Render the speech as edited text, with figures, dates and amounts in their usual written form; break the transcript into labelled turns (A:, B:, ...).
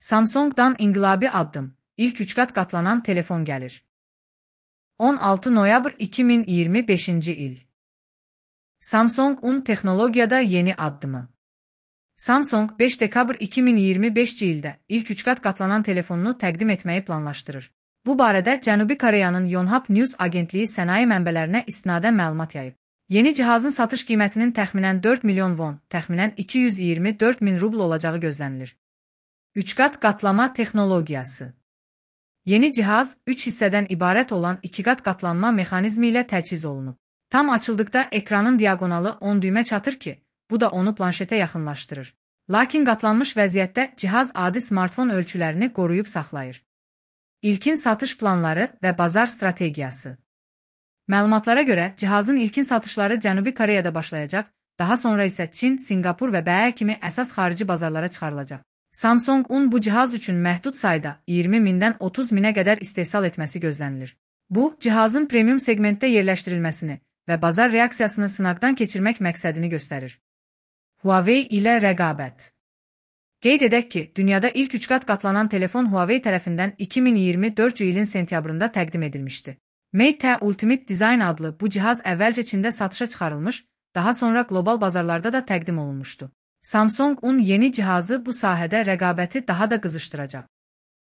A: Samsung'dan inqilabi addım. İlk 3 qat qatlanan telefon gəlir. 16 noyabr 2025 il. Samsung texnologiyada yeni addımı. Samsung 5 dekabr 2025 ildə ilk 3 qat qatlanan telefonunu təqdim etməyi planlaşdırır. Bu barədə Cənubi Koreyanın Yonhap News agentliyi sənaye mənbələrinə istinadən məlumat yayıb. Yeni cihazın satış qiymətinin təxminən 4 milyon won, təxminən 224 min rubl olacağı gözlənilir. 3 qat qatlama texnologiyası. Yeni cihaz 3 hissədən ibarət olan 2 qat qatlanma mexanizmi ilə təchiz olunub. Tam açıldıqda ekranın diagonalı 10 düymə çatır ki, bu da onu planşetə yaxınlaşdırır. Lakin qatlanmış vəziyyətdə cihaz adi smartfon ölçülərini qoruyub saxlayır. İlkin satış planları və bazar strategiyası. Məlumatlara görə, cihazın ilkin satışları Cənubi Koreyada başlayacaq, daha sonra isə Çin, Singapur və BE kimi əsas xarici bazarlara çıxarılacaq. Samsung bu cihaz üçün məhdud sayda 20 mindən 30 minə qədər istehsal etməsi gözlənilir. Bu, cihazın premium segmentdə yerləşdirilməsini və bazar reaksiyasını sınaqdan keçirmək məqsədini göstərir. Huawei ilə rəqabət. Qeyd edək ki, dünyada ilk 3 qat qatlanan telefon Huawei tərəfindən 2024 ilin sentyabrında təqdim edilmişdi. Mate Ultimate Design adlı bu cihaz əvvəlcə Çində satışa çıxarılmış, daha sonra qlobal bazarlarda da təqdim olunmuşdu. Samsung yeni cihazı bu sahədə rəqabəti daha da qızışdıracaq.